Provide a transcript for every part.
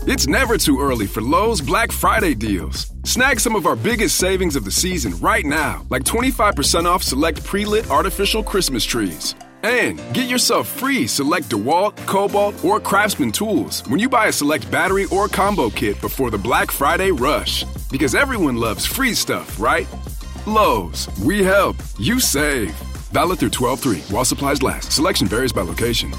It's never too early for Lowe's Black Friday deals. Snag some of our biggest savings of the season right now, like 25% off select pre-lit artificial Christmas trees. And get yourself free select DeWalt, Cobalt, or Craftsman tools when you buy a select battery or combo kit before the Black Friday rush. Because everyone loves free stuff, right? Lowe's, we help, you save. Valid through 12/3 while supplies last. Selection varies by location.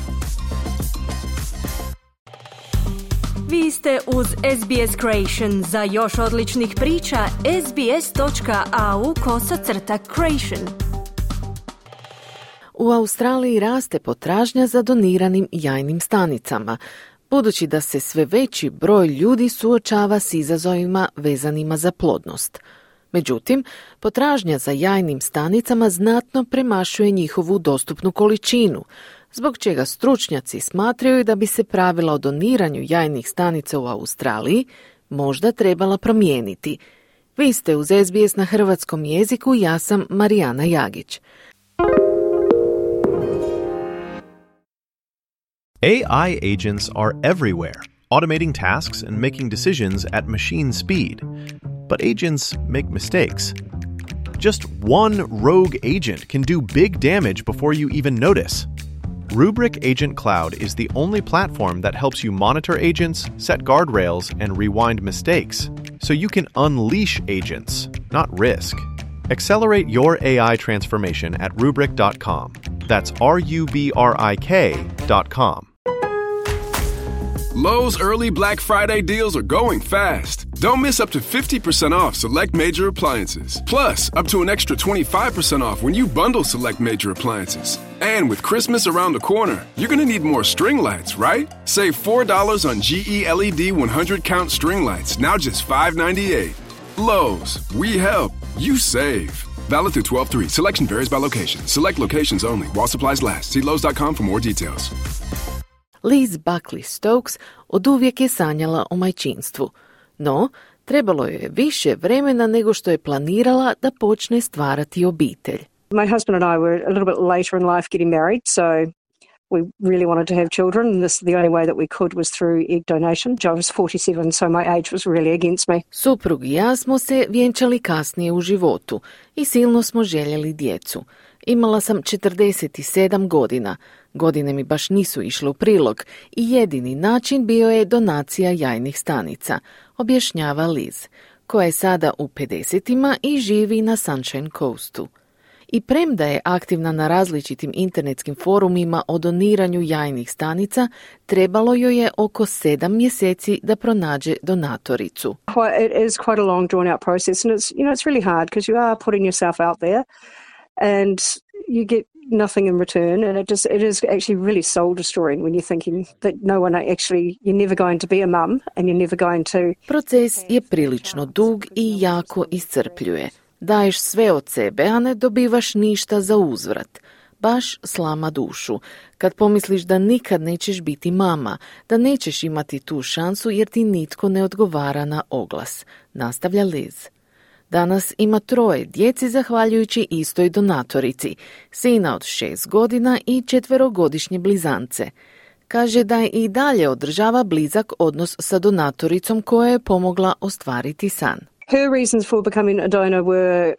Vi ste uz SBS Creation. Za još odličnih priča, sbs.au/creation. U Australiji raste potražnja za doniranim jajnim stanicama, budući da se sve veći broj ljudi suočava s izazovima vezanima za plodnost. Međutim, potražnja za jajnim stanicama znatno premašuje njihovu dostupnu količinu, zbog čega stručnjaci smatraju da bi se pravila o doniranju jajnih stanica u Australiji možda trebala promijeniti. Vi ste uz SBS na hrvatskom jeziku, ja sam Marijana Jagić. AI agents are everywhere, automating tasks and making decisions at machine speed. But agents make mistakes. Just one rogue agent can do big damage before you even notice. Rubrik Agent Cloud is the only platform that helps you monitor agents, set guardrails, and rewind mistakes, so you can unleash agents, not risk. Accelerate your AI transformation at Rubrik.com. That's RUBRIK.com. Lowe's early Black Friday deals are going fast. Don't miss up to 50% off select major appliances. Plus, up to an extra 25% off when you bundle select major appliances. And with Christmas around the corner, you're going to need more string lights, right? Save $4 on GE LED 100-count string lights, now just $5.98. Lowe's, we help, you save. Valid through 12/3. Selection varies by location. Select locations only while supplies last. See Lowe's.com for more details. Liz Buckley Stokes oduvijek je sanjala o majčinstvu, no trebalo joj je više vremena nego što je planirala da počne stvarati obitelj. My husband and I were a little bit later in life getting married, so we really wanted to have children, and the only way that we could was through egg donation. I was 47, so my age was really against me. Suprug i ja smo se vjenčali kasnije u životu i silno smo željeli djecu. Imala sam 47 godina. Godine mi baš nisu išle u prilog i jedini način bio je donacija jajnih stanica, objašnjava Liz, koja je sada u 50-ima i živi na Sunshine Coastu. I premda je aktivna na različitim internetskim forumima o doniranju jajnih stanica, trebalo joj je oko 7 mjeseci da pronađe donatoricu. It is quite a long drawn out process, and it's really hard because you are putting yourself out there and you get nothing in return, and it is actually really soul destroying when you're thinking that no one you're never going to be a mum and you're never going to. Proces je prilično dug i jako iscrpljuje. Daješ sve od sebe, a ne dobivaš ništa za uzvrat. Baš slama dušu. Kad pomisliš da nikad nećeš biti mama, da nećeš imati tu šansu jer ti nitko ne odgovara na oglas, nastavlja Liz. Danas ima 3 djeci zahvaljujući istoj donatorici, sina od 6 godina i 4-godišnje blizance. Kaže da i dalje održava blizak odnos sa donatoricom koja je pomogla ostvariti san. Her reasons for becoming a donor were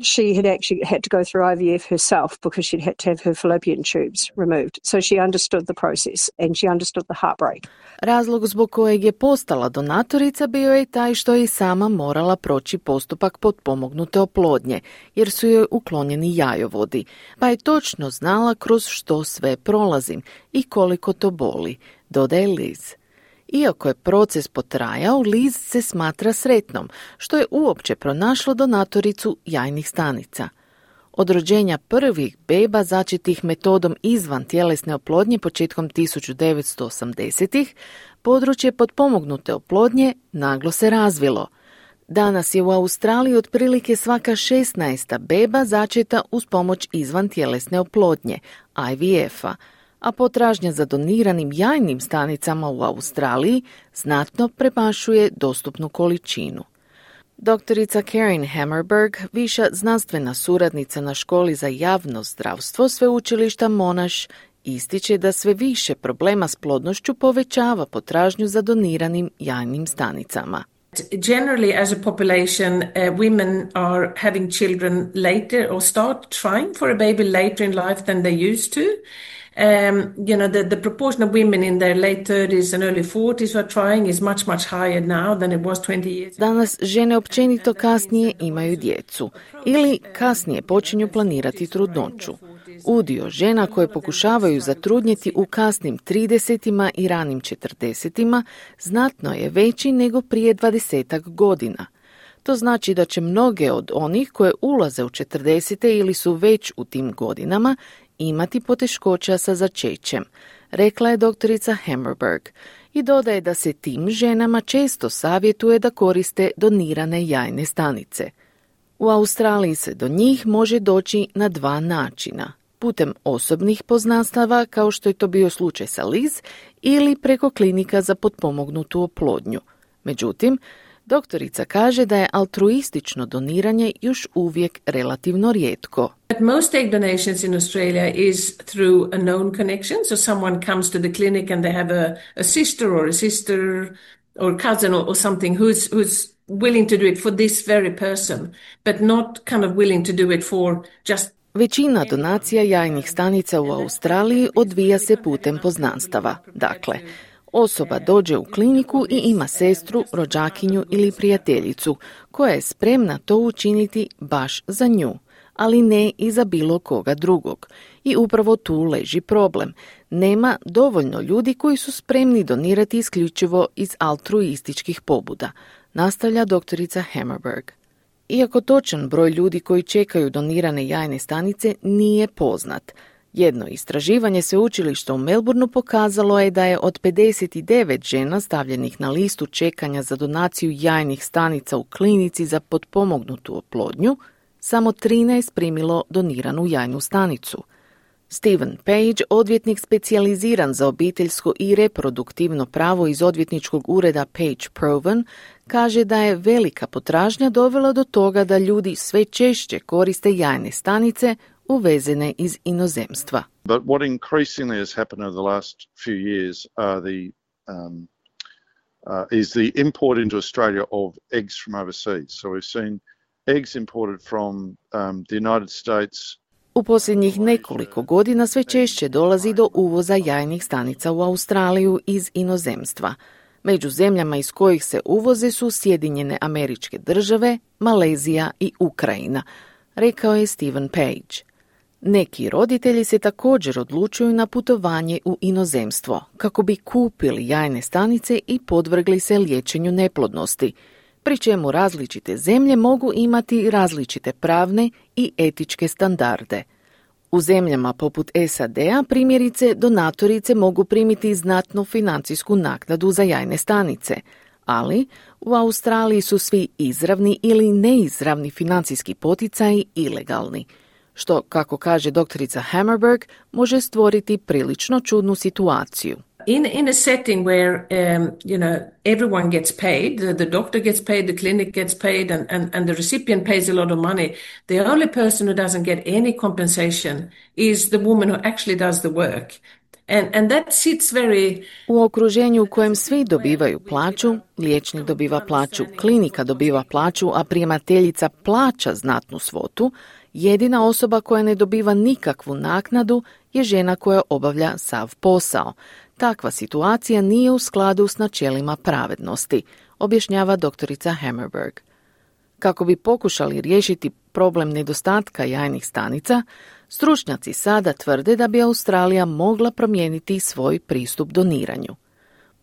she had actually had to go through IVF herself because she'd had to have her fallopian tubes removed. So she understood the process and she understood the heartbreak. Razlog zbog kojeg je postala donatorica bio je taj što je sama morala proći postupak potpomognute oplodnje, jer su joj uklonjeni jajovodi, pa je točno znala kroz što sve prolazim i koliko to boli, dodaje Liz. Iako je proces potrajao, Liz se smatra sretnom, što je uopće pronašlo donatoricu jajnih stanica. Od rođenja prvih beba začetih metodom izvan tjelesne oplodnje početkom 1980-ih, područje potpomognute oplodnje naglo se razvilo. Danas je u Australiji otprilike svaka 16. beba začeta uz pomoć izvan tjelesne oplodnje, IVF-a, a potražnja za doniranim jajnim stanicama u Australiji znatno premašuje dostupnu količinu. Doktorica Karen Hammerberg, viša znanstvena suradnica na školi za javno zdravstvo sveučilišta Monash, ističe da sve više problema s plodnošću povećava potražnju za doniranim jajnim stanicama. Generally, as a population, women are having children later or start trying for a baby later in life than they used to. The proportion of women in their late 30s and early 40s who are trying is much, much higher now than it was 20 years. Danas žene općenito kasnije imaju djecu ili kasnije počinju planirati trudnoću. Udio žena koje pokušavaju zatrudnjeti u kasnim 30-ima i ranim 40-ima znatno je veći nego prije 20 godina. To znači da će mnoge od onih koje ulaze u 40 ili su već u tim godinama imati poteškoća sa začećem, rekla je doktorica Hammerberg i dodaje da se tim ženama često savjetuje da koriste donirane jajne stanice. U Australiji se do njih može doći na 2 načina. Putem osobnih poznanstava, kao što je to bio slučaj sa Liz, ili preko klinika za potpomognutu oplodnju. Međutim, doktorica kaže da je altruistično doniranje još uvijek relativno rijetko. Most egg donations in Australia is through a known connection, so someone comes to the clinic and they have a sister or cousin or something who's willing to do it for this very person, but not kind of willing to do it for just. Većina donacija jajnih stanica u Australiji odvija se putem poznanstava. Dakle, osoba dođe u kliniku i ima sestru, rođakinju ili prijateljicu koja je spremna to učiniti baš za nju, ali ne i za bilo koga drugog. I upravo tu leži problem. Nema dovoljno ljudi koji su spremni donirati isključivo iz altruističkih pobuda, nastavlja doktorica Hammerberg. Iako točan broj ljudi koji čekaju donirane jajne stanice nije poznat, jedno istraživanje sveučilišta u Melbourneu pokazalo je da je od 59 žena stavljenih na listu čekanja za donaciju jajnih stanica u klinici za potpomognutu oplodnju, samo 13 primilo doniranu jajnu stanicu. Stephen Page, odvjetnik specijaliziran za obiteljsko i reproduktivno pravo iz odvjetničkog ureda Page Provan, kaže da je velika potražnja dovela do toga da ljudi sve češće koriste jajne stanice uvezene iz inozemstva. But what increasingly has happened over the last few years are is the import into Australia of eggs from overseas. So we've seen eggs imported from the United States. U posljednjih nekoliko godina sve češće dolazi do uvoza jajnih stanica u Australiju iz inozemstva. Među zemljama iz kojih se uvoze su Sjedinjene Američke Države, Malezija i Ukrajina, rekao je Stephen Page. Neki roditelji se također odlučuju na putovanje u inozemstvo kako bi kupili jajne stanice i podvrgli se liječenju neplodnosti, pri čemu različite zemlje mogu imati različite pravne i etičke standarde. U zemljama poput SAD-a primjerice donatorice mogu primiti znatnu financijsku naknadu za jajne stanice, ali u Australiji su svi izravni ili neizravni financijski poticaji ilegalni, što, kako kaže doktorica Hammerberg, može stvoriti prilično čudnu situaciju. In a setting where, everyone gets paid, the doctor gets paid, the clinic gets paid, and the recipient pays a lot of money, the only person who doesn't get any compensation is the woman who actually does the work. And that sits very... U okruženju u kojem svi dobivaju plaću, liječnik dobiva plaću, klinika dobiva plaću, a primateljica plaća znatnu svotu, jedina osoba koja ne dobiva nikakvu naknadu je žena koja obavlja sav posao. Takva situacija nije u skladu s načelima pravednosti, objašnjava doktorica Hammerberg. Kako bi pokušali riješiti problem nedostatka jajnih stanica, stručnjaci sada tvrde da bi Australija mogla promijeniti svoj pristup doniranju.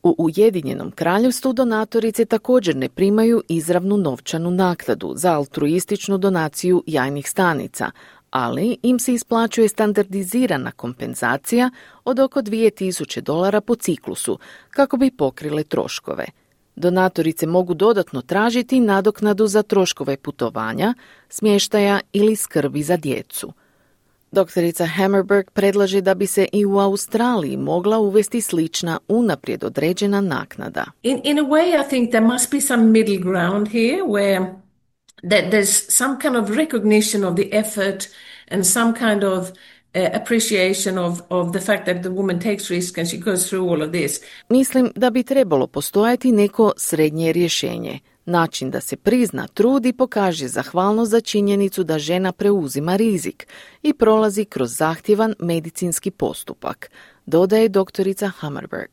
U Ujedinjenom Kraljevstvu donatorice također ne primaju izravnu novčanu naknadu za altruističnu donaciju jajnih stanica, ali im se isplaćuje standardizirana kompenzacija od oko $2,000 po ciklusu kako bi pokrile troškove. Donatorice mogu dodatno tražiti nadoknadu za troškove putovanja, smještaja ili skrbi za djecu. Doktorica Hammerberg predlaže da bi se i u Australiji mogla uvesti slična unaprijed određena naknada. In a way I think there must be some middle ground here where there's some kind of recognition of the effort and some kind of appreciation of the fact that the woman takes risk and she goes through all of this. Mislim da bi trebalo postojati neko srednje rješenje. Način da se prizna trud i pokaže zahvalnost za činjenicu da žena preuzima rizik i prolazi kroz zahtjevan medicinski postupak, dodaje doktorica Hammerberg.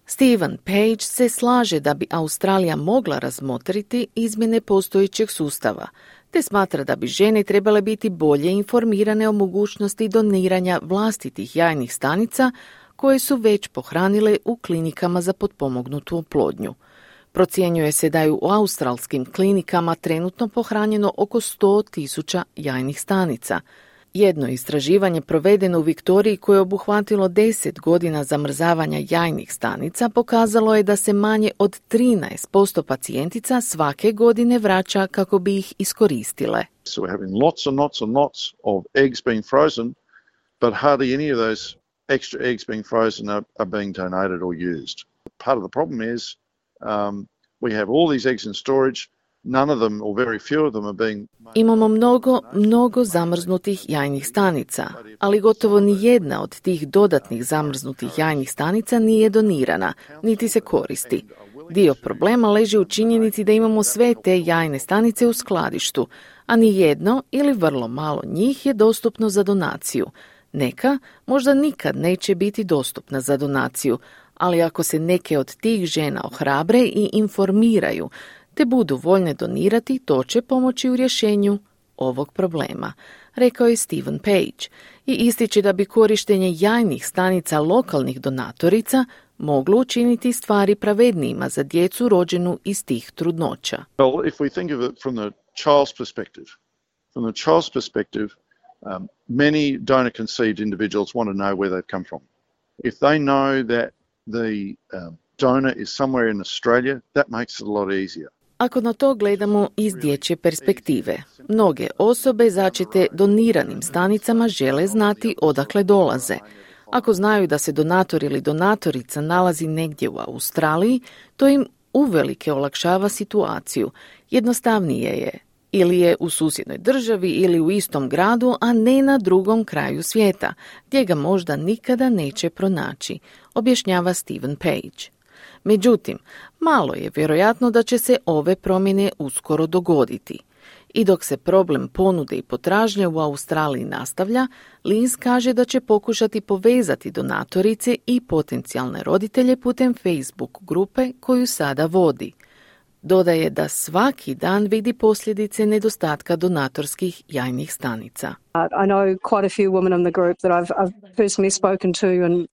Stephen Page se slaže da bi Australija mogla razmotriti izmjene postojećeg sustava, te smatra da bi žene trebale biti bolje informirane o mogućnosti doniranja vlastitih jajnih stanica koje su već pohranile u klinikama za potpomognutu oplodnju. Procjenjuje se da je u australskim klinikama trenutno pohranjeno oko 100,000 jajnih stanica. Jedno istraživanje provedeno u Viktoriji koje je obuhvatilo 10 godina zamrzavanja jajnih stanica pokazalo je da se manje od 13% pacijentica svake godine vraća kako bi ih iskoristile. So we're having lots and lots and lots of eggs being frozen, but hardly any of those extra eggs being frozen are being donated or used. Part of the problem is we have all these eggs in storage. None of them, or very few of them, are being... Imamo mnogo zamrznutih jajnih stanica, ali gotovo ni jedna od tih dodatnih zamrznutih jajnih stanica nije donirana, niti se koristi. Dio problema leži u činjenici da imamo sve te jajne stanice u skladištu, a ni jedno ili vrlo malo njih je dostupno za donaciju. Neka možda nikad neće biti dostupna za donaciju, ali ako se neke od tih žena ohrabre i informiraju, te budu voljne donirati, to će pomoći u rješenju ovog problema, rekao je Stephen Page i ističe da bi korištenje jajnih stanica lokalnih donatorica moglo učiniti stvari pravednijima za djecu rođenu iz tih trudnoća. Well, if we think of it from the child's perspective, many donor conceived individuals want to know where they've come from. If they know that the donor is somewhere in Australia, that makes it a lot easier. Ako na to gledamo iz dječje perspektive, mnoge osobe začete doniranim stanicama žele znati odakle dolaze. Ako znaju da se donator ili donatorica nalazi negdje u Australiji, to im uvelike olakšava situaciju. Jednostavnije je, ili je u susjednoj državi ili u istom gradu, a ne na drugom kraju svijeta, gdje ga možda nikada neće pronaći, objašnjava Stephen Page. Međutim, malo je vjerojatno da će se ove promjene uskoro dogoditi. I dok se problem ponude i potražnje u Australiji nastavlja, Liz kaže da će pokušati povezati donatorice i potencijalne roditelje putem Facebook grupe koju sada vodi. Dodaje da svaki dan vidi posljedice nedostatka donatorskih jajnih stanica. I know quite a few women in the group that I've personally spoken to and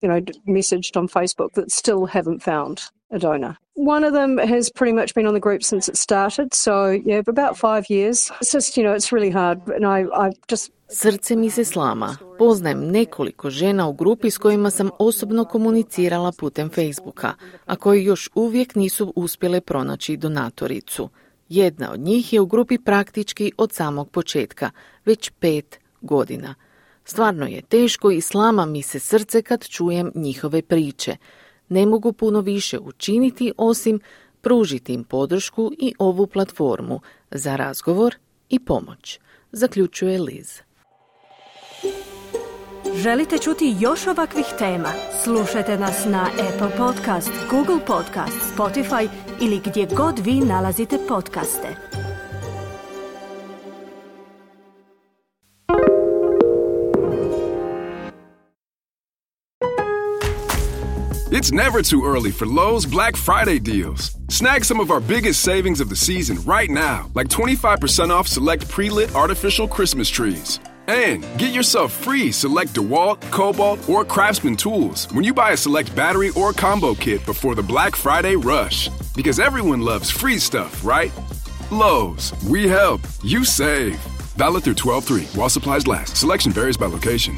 messaged on Facebook that still haven't found a donor. One of them has pretty much been on the group since it started, so yeah, about 5 years. It's just, it's really hard, and I just... Srce mi se slama. Poznajem nekoliko žena u grupi s kojima sam osobno komunicirala putem Facebooka, a koji još uvijek nisu uspjele pronaći donatoricu. Jedna od njih je u grupi praktički od samog početka, već 5 godina. Stvarno je teško i slama mi se srce kad čujem njihove priče. Ne mogu puno više učiniti osim pružiti im podršku i ovu platformu za razgovor i pomoć, zaključuje Liz. Želite čuti još ovakvih tema? Slušajte nas na Apple Podcast, Google Podcast, Spotify ili gdje god vi nalazite podcaste. It's never too early for Lowe's Black Friday deals. Snag some of our biggest savings of the season right now, like 25% off select pre-lit artificial Christmas trees. And get yourself free select DeWalt, Cobalt, or Craftsman tools when you buy a select battery or combo kit before the Black Friday rush. Because everyone loves free stuff, right? Lowe's, we help, you save. Valid through 12/3 while supplies last. Selection varies by location.